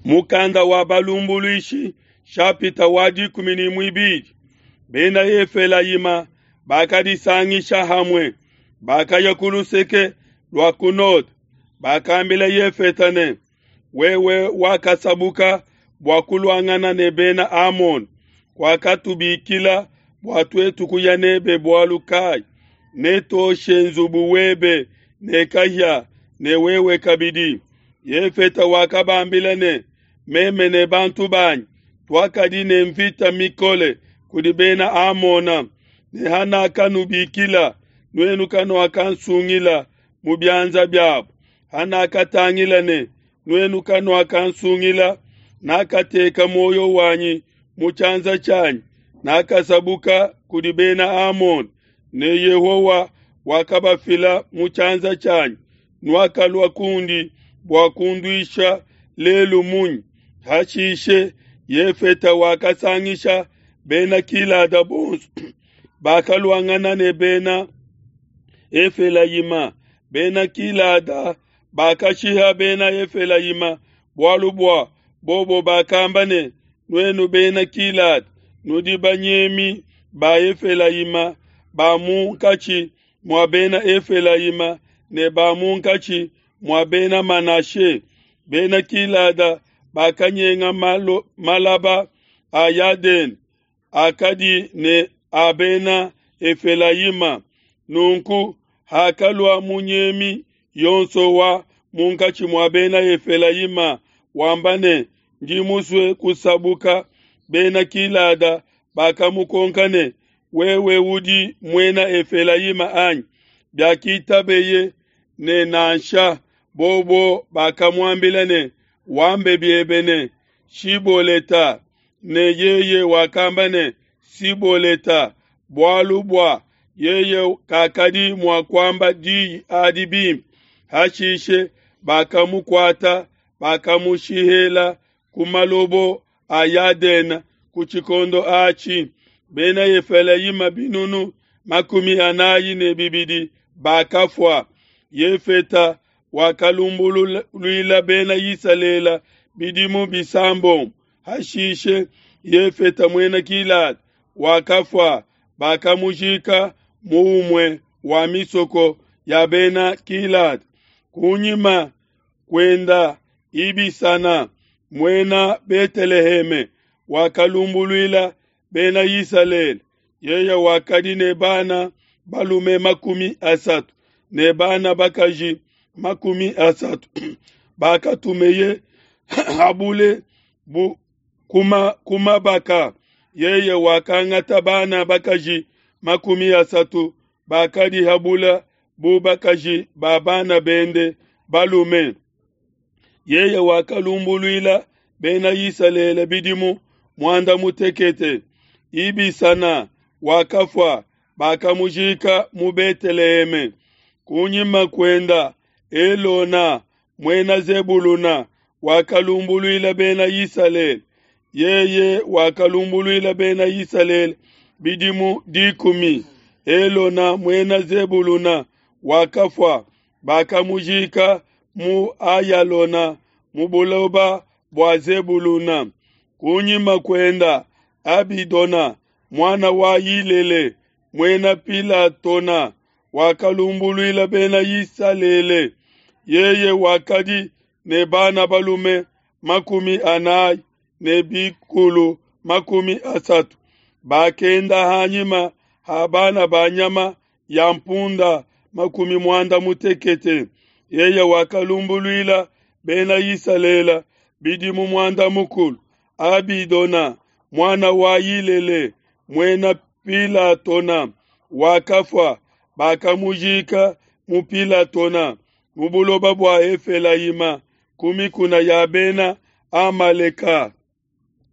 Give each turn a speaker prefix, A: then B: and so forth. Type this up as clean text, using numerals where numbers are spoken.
A: Mukanda wa Balumbuluishi shapita wa 12. Bena Efelayima bakadisangisha hamue, bakaya ku luseke lua ku node, bakambila Yefeta ne, Wewe wakasabuka bua kuluangana ne Bena Amona, kuakatubikila bua tuetu kuya nebe bualu kai? Netuoshe nzubu webe ne kahia ne wewe kabidi. Yefeta wakabambila ne, Meme ne bantu banyi tuakadi ne mvita mikole kudi Bena Amona, ne hanakanubikila, nuenu kanuakansungila mu bianza biabo. Hanakatangila ne nuenu kanuakansungila, nakateka muoyo wanyi mu tshianza tshianyi, nakasabuka kudi Bena Amona, ne Yehowa wakabafila mu tshianza tshianyi. Nuakalua kundi bua kunduisha lelu munyi? Hashishe Yefeta wakasangisha Bena Gilada bonso, bakaluangana ne Bena Efelayima. Bena Gilada bakashiha Bena Efelayima, bualu bua bobo bakamba ne, Nuenu Bena Gilada nudi banyemi ba Efelayima ba munkatshi mua Bena Efelayima ne ba munkatshi mua Bena Manashe. Bena Gilada bakanyenga malaba a Yadene akadi ne a Bena Efelayima. Nunku hakalua munyemi yonso wa munkatshi mua Bena Efelayima wamba ne, Ndi musue kusabuka, Bena Gilada bakamukonka ne, Wewe udi muena Efelayima anyi? Biakitabeye ne, Nansha. Bobo bakamuambila ne, Wambe biebe ne, Shiboleta. Ne yeye wakamba ne, Siboleta, bualu bua yeye kakadi mua kuamba diyi adi bimpe. Hashishe bakamukuata, bakamushihela ku malobo a Yadene ku tshikondo atshi. Bena Efelayima 42 bakafua. Yefeta wakalumbuluila Bena Isalele bidimu bisambombo. Hashishe Yefeta muena Gilada wakafua, bakamujika mu umue wa misoko ya Bena Gilada. Kunyima kuenda Ibisana muena Beteleheme wakalumbuluila Bena Isalele. Yeye wakadi ne bana balume 30 ne bana bakaji 30 bakatumeye habule bu kumabaka. Yeye wakangata bana bakaji 30 bakadi habula bu bakaji ba bana bende balume. Yeye wakalumbuluila Bena Isalele bidimu 18. Ibisana wakafua, bakamujika mu Beteleheme. Kunyima kuenda Elona muena Zebuluna wakalumbuluila Bena Isalele. Yeye wakalumbuluila Bena Isalele bidimu 10. Elona muena Zebuluna wakafua, bakamujika mu Ayalona mu buloba bua Zebuluna. Kunyima kuenda Abidona muana wa Yilele muena Pilatona wakalumbuluila Bena Isalele. Yeye wakadi ne bana balume 40 ne bikulu 30. Bakenda hanyima ha bana ba nyama ya mpunda 80. Yeye wakalumbuluila Bena Isalele bidimu 10. Abidona muana wa Yilele muena Pilatona wakafua, bakamujika mu Pilatona mu buloba bua Efelayima ku mikuna ya Bena Amaleka.